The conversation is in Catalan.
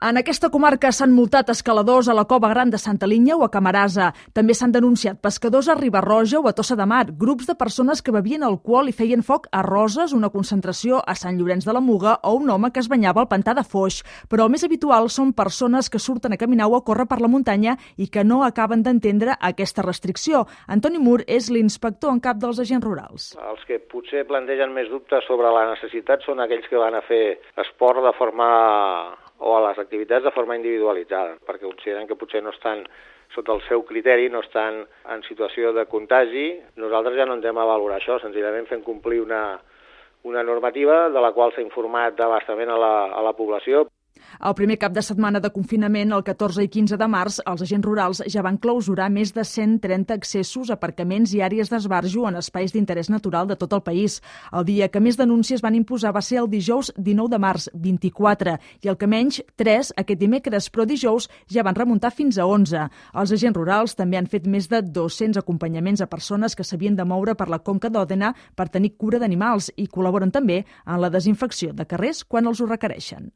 En aquesta comarca s'han multat escaladors a la Cova Gran de Santa Linya o a Camarasa. També s'han denunciat pescadors a Riba-roja o a Tossa de Mar, grups de persones que bevien alcohol i feien foc a Roses, una concentració a Sant Llorenç de la Muga o un home que es banyava al pantà de Foix. Però el més habitual són persones que surten a caminar o a córrer per la muntanya i que no acaben d'entendre aquesta restricció. Antoni Mur és l'inspector en cap dels agents rurals. Els que potser plantegen més dubtes sobre la necessitat són aquells que van a fer esport de forma o a les activitats de forma individualitzada, perquè consideren que potser no estan sota el seu criteri, no estan en situació de contagi. Nosaltres ja no entrem a valorar això, senzillament fent complir una normativa de la qual s'ha informat abastament a la població. El primer cap de setmana de confinament, el 14 i 15 de març, els agents rurals ja van clausurar més de 130 accessos, aparcaments i àrees d'esbarjo en espais d'interès natural de tot el país. El dia que més denúncies van imposar va ser el dijous 19 de març, 24, i el que menys, 3, aquest dimecres, però dijous ja van remuntar fins a 11. Els agents rurals també han fet més de 200 acompanyaments a persones que s'havien de moure per la Conca d'Òdena per tenir cura d'animals i col·laboren també en la desinfecció de carrers quan els ho requereixen.